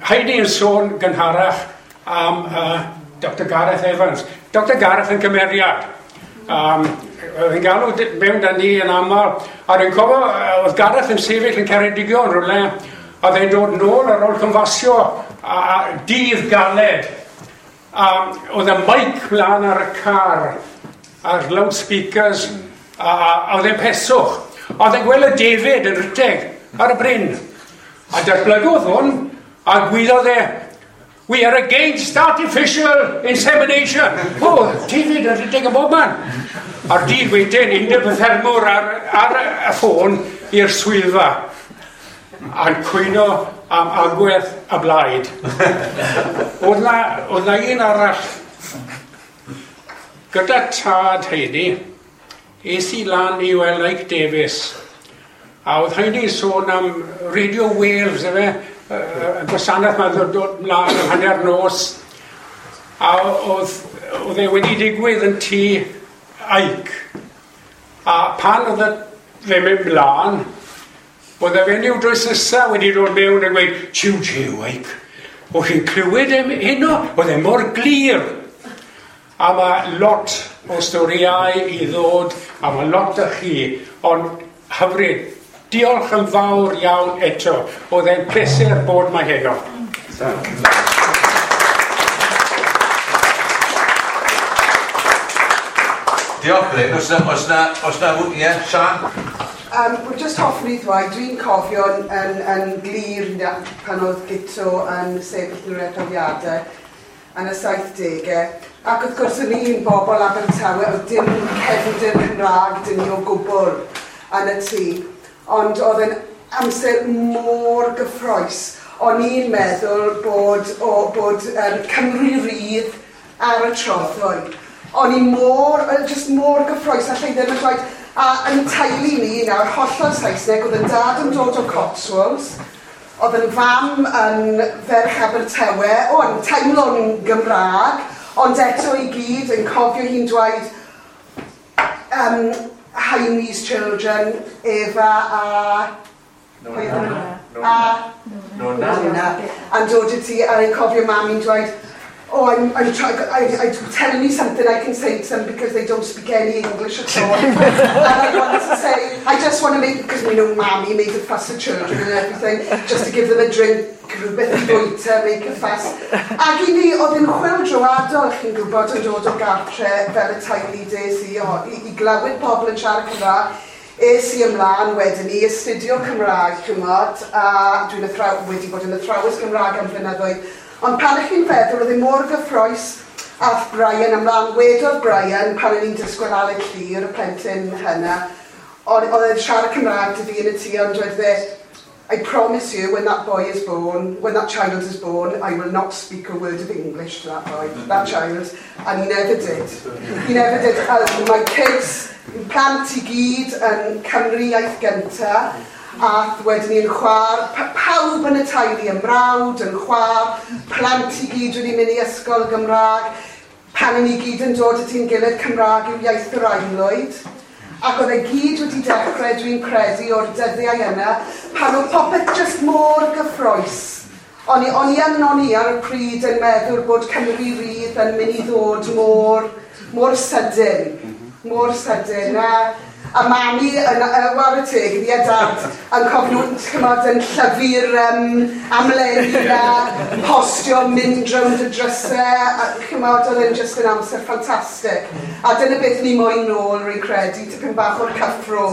Heidi yn sôn gynharach am Dr Gareth Evans. Dr Gareth yn cymeriad. Oedd yn galw mewn da ni yn aml. A dwi'n cofio, oedd Gareth yn sefyll yn Ceredigion rhywle, a oedd e'n dod nôl ar ôl cynfasio a dydd galed. A oedd y mic mlaen ar y car, a'r loudspeakers, a oedd e'n peswch. Oedd e'n gweld y David yn rhedeg ar y bryn. A datblygodd hwn, a gwyddodd e, "We are against artificial insemination." O, David yn rhedeg yn bob man. A'r dydd wedyn, undeb y ffermwr ar y ffôn i'r swyddfa. A'n cwyno am agwedd y blaid. Oedd na un arall. Gyda tad Heidi, es i lan i weld Ike Davies. A oedd Heidi'n sôn am Radio Wales, efe, y gwasanaeth mae'n dod mlaen am hanner nos. A oedd e wedi digwydd yn tŷ Ike. A pan oedd fe mynd mlaen, oedd y fenyw drws nesaf wedi dod mewn yn gweud, "Jiw, jiw, Ike, o'ch chi'n clywed e heno? Oedd e mor glir." A mae lot o storïau i ddod, a mae lot o chi, ond hyfryd. Diolch yn fawr iawn eto. Oedd e'n pleser bod 'ma heno. Diolch, Bryn. Os na, ie, Sian? Wel, just hoffwn i ddweud, dwi'n cofio yn glir pan oedd Guto yn sefyll yn yr etholiadau yn y 70au. Ac wrth gwrs, o'n i'n bobl Abertawe, oedd dim cefndir Cymraeg dyn ni o gwbl yn y tŷ. Ond oedd yn amser mor gyffrous. O'n i'n meddwl bod Cymru Rydd ar y trothwy. O'n i mor, just mor gyffrous, allai ddim yn dweud. A yn teulu ni nawr, hollol Saesneg, oedd yn dad yn dod o Cotswolds, oedd yn fam yn ferch Abertawe, o, yn teimlo'n Gymraeg, ond eto i gyd yn cofio hi'n dweud Heine's children, Eva a Pwy oedden nhw? A Nona. Nona. A'n dod i ti, a yn cofio mam i'n dweud, "Oh, I'm trying, I'm telling me something I can say to them because they don't speak any English at all. And I want to say, I just want to make, because we know Mammy made a fuss of children and everything, just to give them a drink, rhywbeth i fwyta, make a fuss." Ac i ni, oedd yn chwyldroadol, chi'n gwybod, yn dod o gartre fel y teulu des i, o, i glywed pobl yn siarad Cymraeg. Es i ymlaen wedyn i astudio Cymraeg, chymod, a dwi'n wedi bod yn athrawes Gymraeg am flynyddoedd. Ond pan ych chi'n feddwl, oedd e mor gyffrous, ath Brian ymlaen, wedodd Brian, pan o'n i'n disgwyl Aled Llyr, y plentyn hynna, oedd e'n siarad Cymraeg 'da fi yn y tŷ, ond dweud fe, "I promise you, when that boy is born, when that child is born, I will not speak a word of English to that boy, that child." And he never did. He never did. My kids, plant i gyd yn Cymru iaith gynta, a wedyn ni'n chwar, pawb yn y teulu, yn mrawd, yn chwar, plant i gyd wedi mynd i ysgol Gymraeg. Pan ni gyd yn dod at ein gilydd, Cymraeg yw iaith yr aelwyd. Ac oedd e gyd wedi dechrau, dwi'n credu, o'r dyddiau yna, pan oedd popeth just mor gyffrous. O'n i ar y pryd yn meddwl bod Cymru Rydd yn mynd i ddod mor, mor sydyn. Mor sydyn. A mami, yn, whare teg, iddi a dad, yn cofio nhw, chymod, yn llyfu'r amlenni a postio, mynd rownd y drysau, a chymod, oedd e'n just yn amser ffantastig. A dyna beth ni moyn nôl, rwy'n credu, tipyn bach o'r cyffro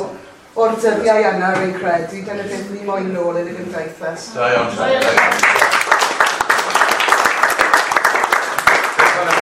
o'r dyddiau yna, rwy'n credu. Dyna beth ni moyn nôl yn y gymdeithas. Da iawn.